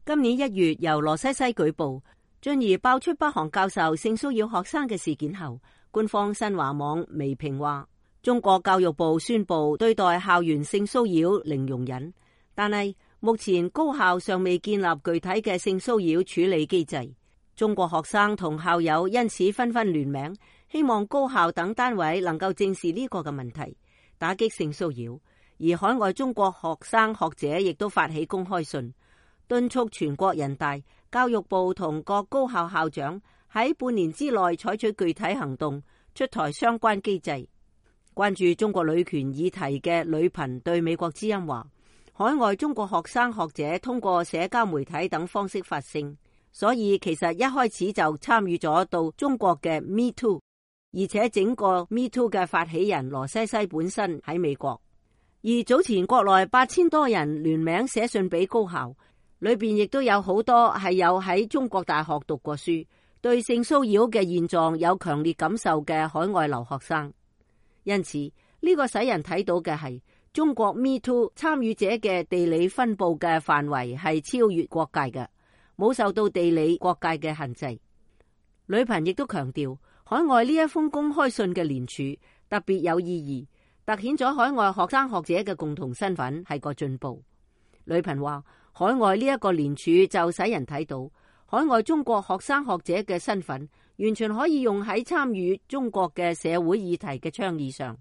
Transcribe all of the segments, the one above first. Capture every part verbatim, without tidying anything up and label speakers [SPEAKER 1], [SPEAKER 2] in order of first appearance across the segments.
[SPEAKER 1] 今年一月由羅西西舉報，進而爆出北韓教授性騷擾學生嘅事件後，官方新華網微評話，中國教育部宣布對待校園性騷擾零容忍，但係目前高校尚未建立具體嘅性騷擾處理機制。中國學生同校友因此紛紛聯名，希望高校等單位能夠正視呢個嘅問題，打擊性騷擾。而海外中國學生學者亦都發起公開信，敦促全國人大、教育部同各高校校長喺半年之內採取具體行動，出台相關機制。關注中國女權議題嘅女頻對美國之音話，海外中國學生學者通過社交媒體等方式發聲，所以其實一開始就參與咗到中國嘅 Me Too， 而且整個 Me Too 嘅發起人羅西西本身喺美國。而早前國內八千多人聯名寫信俾高校，裏邊亦都有好多係有喺中國大學讀過書，對性騷擾嘅現狀有強烈感受嘅海外留學生。因此呢個使人睇到嘅係中國 Me Too 參與者嘅地理分佈嘅範圍係超越國界嘅，冇受到地理國界嘅限制。女頻亦都強調，海外呢一封公開信嘅聯署特別有意義，凸顯咗海外學生學者嘅共同身份係個進步。女頻話，海外呢一個聯署就使人睇到海外中國學生學者嘅身份完全可以用喺參與中國嘅社會議題嘅倡議上，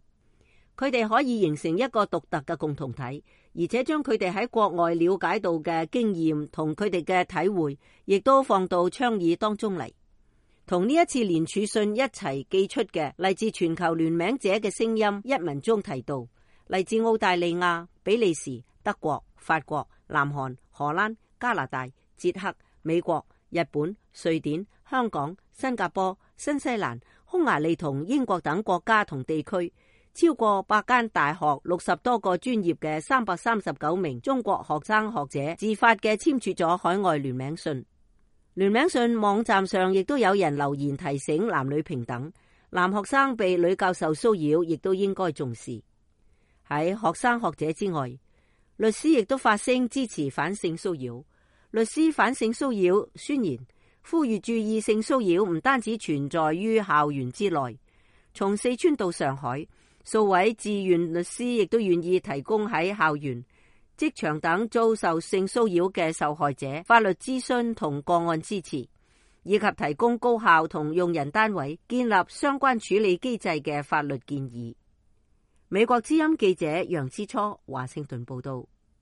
[SPEAKER 1] 佢哋可以形成一個獨特嘅共同體，而且將佢哋喺國外了解到嘅經驗同佢哋嘅體會亦都放到倡議當中嚟。同呢一次聯署信一齊寄出嘅嚟自全球聯名者嘅聲音一文中提到，嚟自澳大利亞、比利時、德國、法國、南韓、荷蘭、加拿大、捷克、美國、日本、瑞典、香港、新加坡、新西蘭、匈牙利同英國等國家同地區，超過百間大學、六十多個專業嘅三百三十九名中國學生學者自發嘅簽署咗海外聯名信。聯名信網站上亦都有人留言提醒男女平等，男學生被女教授騷擾亦都應該重視。喺學生學者之外，律師亦都發聲支持反性騷擾。律師反性騷擾宣言呼籲注意，性騷擾唔單止存在於校園之內，從四川到上海，數位志願律師亦都願意提供喺校園、職場等遭受性騷擾嘅受害者法律諮詢同個案支持，以及提供高校同用人單位建立相關處理機制嘅法律建議。美國之音記者楊之初華盛頓報道。